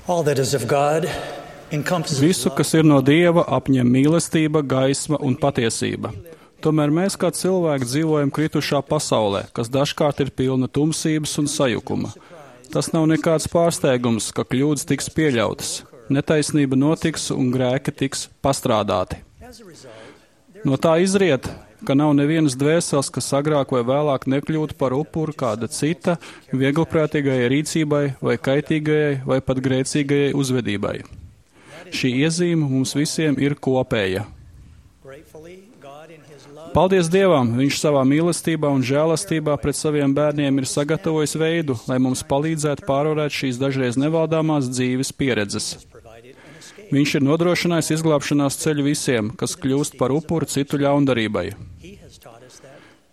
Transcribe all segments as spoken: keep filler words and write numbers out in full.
All that is of God encompasses Visu, kas ir no Dieva, apņem mīlestība, gaisma un patiesība. Tomēr mēs kā cilvēki dzīvojam kritušā pasaulē, kas dažkārt ir pilna tumsības un sajukuma. Tas nav nekāds pārsteigums, ka kļūdas tiks pieļautas, netaisnība notiks un grēki tiks pastrādāti. No tā izriet, ka nav nevienas dvēseles, kas agrāk vai vēlāk nekļūtu par upuru kāda cita vieglprātīgajai rīcībai vai kaitīgajai vai pat grēcīgajai uzvedībai. Šī iezīme mums visiem ir kopēja. Paldies Dievam, Viņš savā mīlestībā un žēlastībā pret saviem bērniem ir sagatavojis veidu, lai mums palīdzētu pārvarēt šīs dažreiz nevaldāmās dzīves pieredzes. Viņš ir nodrošinājis izglābšanās ceļu visiem, kas kļūst par upuru citu ļaundarībai.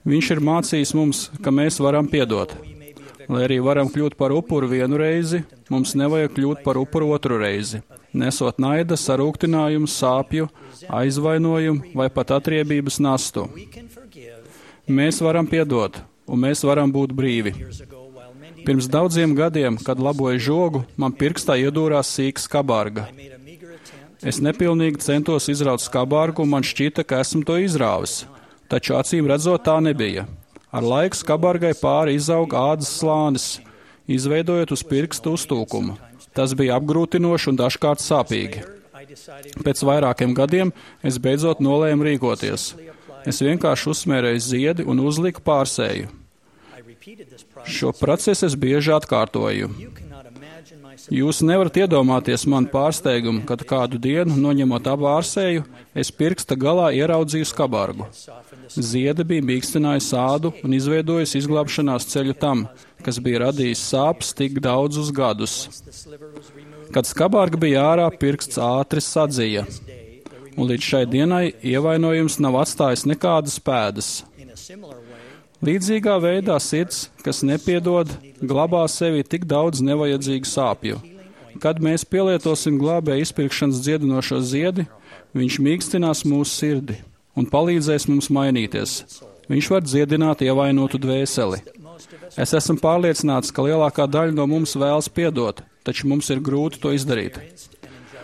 Viņš ir mācījis mums, ka mēs varam piedot. Lai arī varam kļūt par upuru vienu reizi, mums nevajag kļūt par upuru otru reizi, nesot naida, sarūktinājumu, sāpju, aizvainojumu vai pat atriebības nastu. Mēs varam piedot, un mēs varam būt brīvi. Pirms daudziem gadiem, kad laboju žogu, man pirkstā iedūrās sīka skabārga. Es nepilnīgi centos izraut skabārgu, un man šķita, ka esmu to izrāvis, taču acīm redzot tā nebija. Ar laiku skabārgai pāri izauga ādas slānis, izveidojot uz pirkstu uztūkumu. Tas bija apgrūtinoši un dažkārt sāpīgi. Pēc vairākiem gadiem es beidzot nolēmu rīkoties. Es vienkārši uzsmērēju ziedi un uzliku pārsēju. Šo procesu es bieži atkārtoju. Jūs nevarat iedomāties man pārsteigumu, kad kādu dienu, noņemot abu ārsēju, es pirksta galā ieraudzīju skabārgu. Ziede bija mīkstinājusi ādu un izveidojusi izglābšanās ceļu tam, kas bija radījis sāpes tik daudzus gadus. Kad skabārga bija ārā, pirksts ātri sadzija, un līdz šai dienai ievainojums nav atstājis nekādas pēdas. Līdzīgā veidā sirds, kas nepiedod, glabā sevi tik daudz nevajadzīgu sāpju. Kad mēs pielietosim glābēja izpirkšanas dziedinošo ziedi, viņš mīkstinās mūsu sirdi un palīdzēs mums mainīties. Viņš var dziedināt ievainotu dvēseli. Es esmu pārliecināts, ka lielākā daļa no mums vēlas piedot, taču mums ir grūti to izdarīt.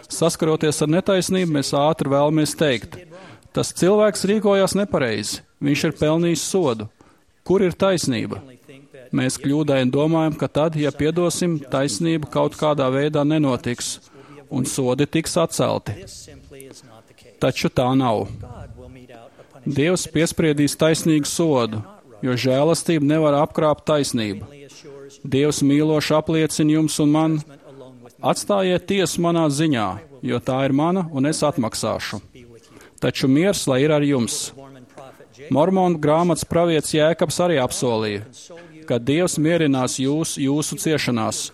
Saskaroties ar netaisnību, mēs ātri vēlamies teikt, tas cilvēks rīkojās nepareizi, viņš ir pelnījis sodu. Kur ir taisnība? Mēs kļūdaini domājam, ka tad, ja piedosim, taisnība kaut kādā veidā nenotiks, un sodi tiks atcelti. Taču tā nav. Dievs piespriedīs taisnīgu sodu, jo žēlastība nevar apkrāpt taisnību. Dievs mīloši apliecina jums un man, atstājiet tiesu manā ziņā, jo tā ir mana un es atmaksāšu. Taču miers, lai ir ar jums. Mormonu grāmatas pravietis Jēkabs arī apsolīja, ka Dievs mierinās jūs jūsu ciešanās,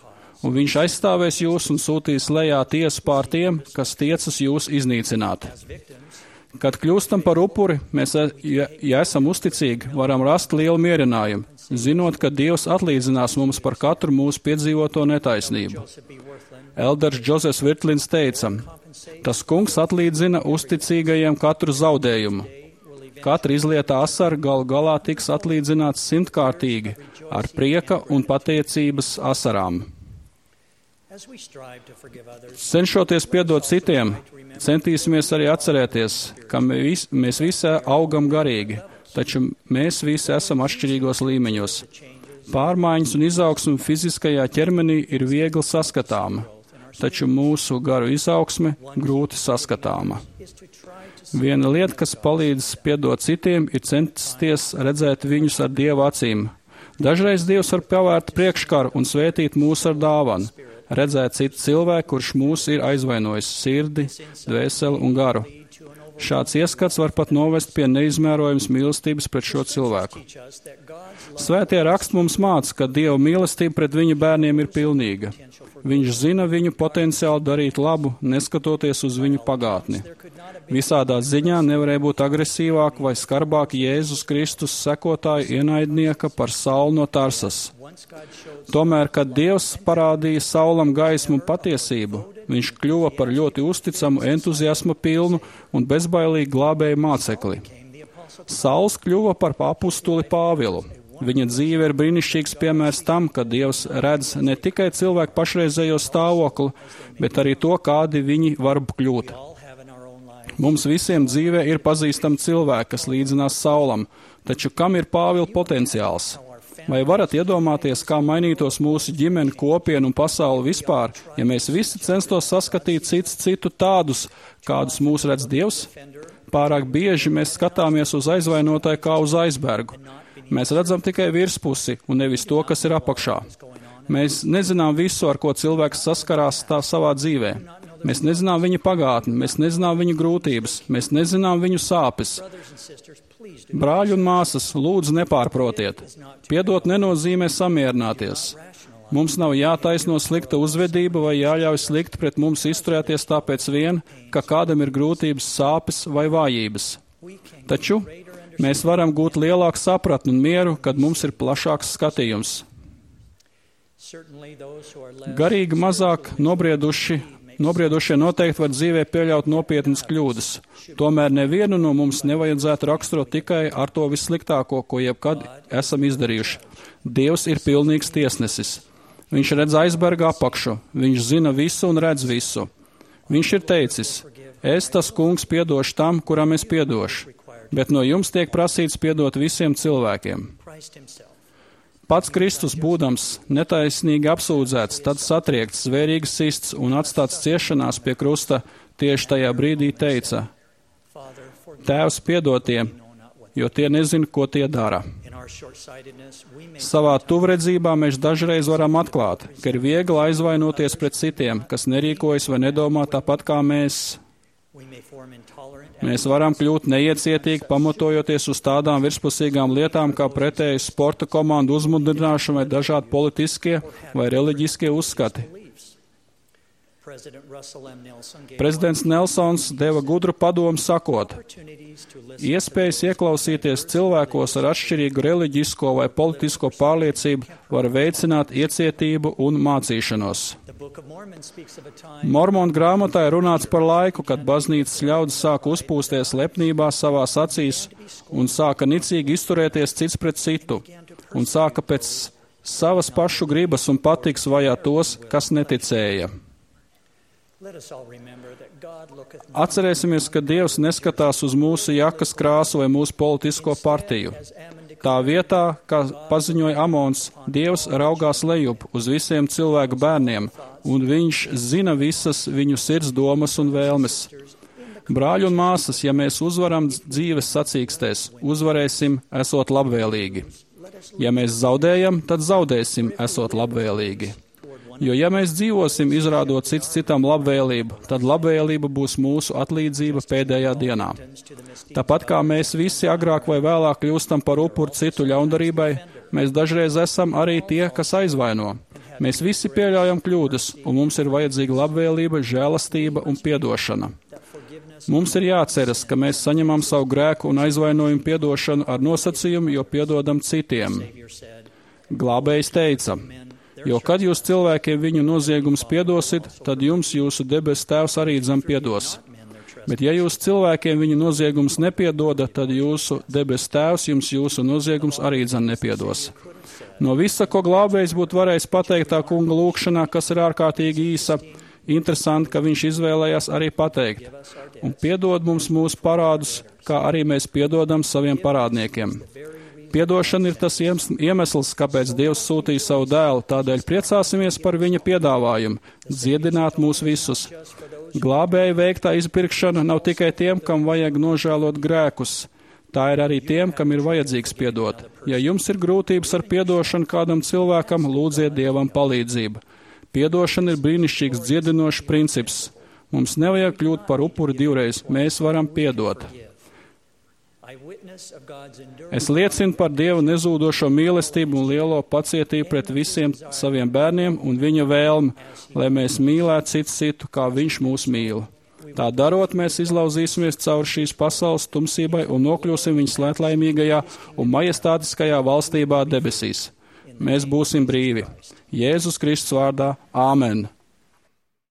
un viņš aizstāvēs jūs un sūtīs lejā tiesu pār tiem, kas tiecas jūs iznīcināt. Kad kļūstam par upuri, mēs, ja, ja esam uzticīgi, varam rast lielu mierinājumu, zinot, ka Dievs atlīdzinās mums par katru mūsu piedzīvoto netaisnību. Elders Džozefs Virtlins teica, tas kungs atlīdzina uzticīgajiem katru zaudējumu. Katra izlietā asara galu galā tiks atlīdzināts simtkārtīgi ar prieka un pateicības asarām. Cenšoties piedot citiem, centīsimies arī atcerēties, ka mēs, mēs visi augam garīgi, taču mēs visi esam atšķirīgos līmeņos. Pārmaiņas un izaugsme fiziskajā ķermenī ir viegli saskatāma, taču mūsu garu izaugsme grūti saskatāma. Viena lieta, kas palīdz piedot citiem, ir censties redzēt viņus ar Dieva acīm. Dažreiz Dievs var pavērt priekškaru un svētīt mūs ar dāvanu, redzēt citu cilvēku, kurš mūs ir aizvainojis sirdi, dvēseli un garu. Šāds ieskats var pat novest pie neizmērojams mīlestības pret šo cilvēku. Svētie raksti mums māca, ka Dieva mīlestība pret viņa bērniem ir pilnīga. Viņš zina viņu potenciālu darīt labu, neskatoties uz viņu pagātni. Visādā ziņā nevarēja būt agresīvāk vai skarbāk Jēzus Kristus sekotāju ienaidnieka par Saulu no Tarsas. Tomēr, kad Dievs parādīja Saulam gaismu un patiesību, viņš kļuva par ļoti uzticamu, entuziasma pilnu un bezbailīgu glābēju mācekli. Sauls kļuva par apustuli Pāvilu. Viņa dzīve ir brīnišķīgs piemērs tam, ka Dievs redz ne tikai cilvēku pašreizējo stāvokli, bet arī to, kādi viņi var kļūt. Mums visiem dzīvē ir pazīstami cilvēki, kas līdzinās Saulam, taču kam ir Pāvila potenciāls? Vai varat iedomāties, kā mainītos mūsu ģimene, kopiena un pasauli vispār, ja mēs visi censtos saskatīt cits citu tādus, kādus mūs redz Dievs? Pārāk bieži mēs skatāmies uz aizvainotāju kā uz aizbergu. Mēs redzam tikai virspusi un nevis to, kas ir apakšā. Mēs nezinām visu, ar ko cilvēks saskarās tā savā dzīvē. Mēs nezinām viņa pagātni, mēs nezinām viņa grūtības, mēs nezinām viņu sāpes. Brāļi un māsas, lūdzu nepārprotiet. Piedot nenozīmē samierināties. Mums nav jātaisno slikta uzvedība vai jāļauj slikti pret mums izturēties tāpēc vien, ka kādam ir grūtības, sāpes vai vājības. Taču mēs varam gūt lielāku sapratni un mieru, kad mums ir plašāks skatījums. Garīgi mazāk nobrieduši, nobriedušie noteikti var dzīvē pieļaut nopietnas kļūdas. Tomēr nevienu no mums nevajadzētu raksturot tikai ar to vissliktāko, ko jebkad esam izdarījuši. Dievs ir pilnīgs tiesnesis. Viņš redz aizberga apakšu, viņš zina visu un redz visu. Viņš ir teicis, es tas kungs piedošu tam, kuram es piedošu, bet no jums tiek prasīts piedot visiem cilvēkiem. Pats Kristus būdams netaisnīgi apsūdzēts, tad satriekts, zvērīgi sists un atstāts ciešanās pie krusta, tieši tajā brīdī teica, Tēvs piedod tiem, jo tie nezina, ko tie dara. Savā tuvredzībā mēs dažreiz varam atklāt, ka ir viegli aizvainoties pret citiem, kas nerīkojas vai nedomā tāpat kā mēs. Mēs varam kļūt neiecietīgi, pamatojoties uz tādām virspusīgām lietām, kā pretēju sporta komandu uzmundrināšana vai dažādi politiskie vai reliģiskie uzskati. Prezidents Nelsons deva gudru padomu sakot, iespējas ieklausīties cilvēkos ar atšķirīgu reliģisko vai politisko pārliecību var veicināt iecietību un mācīšanos. Mormonu grāmatā ir runāts par laiku, kad baznīcas ļaudis sāka uzpūsties lepnībā savās acīs un sāka nicīgi izturēties cits pret citu un sāka pēc savas pašu gribas un patiks vajāt tos, kas neticēja. Atcerēsimies, ka Dievs neskatās uz mūsu jakas krāsu vai mūsu politisko partiju. Tā vietā, kā paziņoja Amons, Dievs raugās lejup uz visiem cilvēku bērniem, un viņš zina visas viņu sirds domas un vēlmes. Brāļi un māsas, ja mēs uzvaram dzīves sacīkstēs, uzvarēsim, esot labvēlīgi. Ja mēs zaudējam, tad zaudēsim, esot labvēlīgi. Jo, ja mēs dzīvosim, izrādot cits citam labvēlību, tad labvēlība būs mūsu atlīdzība pēdējā dienā. Tāpat kā mēs visi agrāk vai vēlāk kļūstam par upuru citu ļaundarībai, mēs dažreiz esam arī tie, kas aizvaino. Mēs visi pieļaujam kļūdas, un mums ir vajadzīga labvēlība, žēlastība un piedošana. Mums ir jāatceras, ka mēs saņemam savu grēku un aizvainojumu piedošanu ar nosacījumu, jo piedodam citiem. Glābējs teica, jo, kad jūs cilvēkiem viņu noziegumus piedosit, tad jums jūsu debes tēvs arī dzem piedos. Bet ja jūs cilvēkiem viņu noziegumus nepiedoda, tad jūsu debes tēvs jums jūsu noziegumus arī dzem nepiedos. No visa, ko glābējs būtu varējis pateikt tā kunga lūkšanā, kas ir ārkārtīgi īsa, interesanti, ka viņš izvēlējās arī pateikt. Un piedod mums mūsu parādus, kā arī mēs piedodam saviem parādniekiem. Piedošana ir tas iemesls, kāpēc Dievs sūtīja savu dēlu, tādēļ priecāsimies par viņa piedāvājumu, dziedināt mūs visus. Glābēja veiktā izpirkšana nav tikai tiem, kam vajag nožēlot grēkus. Tā ir arī tiem, kam ir vajadzīgs piedot. Ja jums ir grūtības ar piedošanu kādam cilvēkam, lūdziet Dievam palīdzību. Piedošana ir brīnišķīgs dziedinošs princips. Mums nevajag kļūt par upuri divreiz, mēs varam piedot. Es liecinu par Dieva nezūdošo mīlestību un lielo pacietību pret visiem saviem bērniem un viņa vēlmi, lai mēs mīlētu citu citu, kā viņš mūs mīl. Tā darot, mēs izlauzīsimies caur šīs pasaules tumsībai un nokļūsim viņas svētlaimīgajā un majestātiskajā valstībā debesīs. Mēs būsim brīvi. Jēzus Kristus vārdā. Āmen.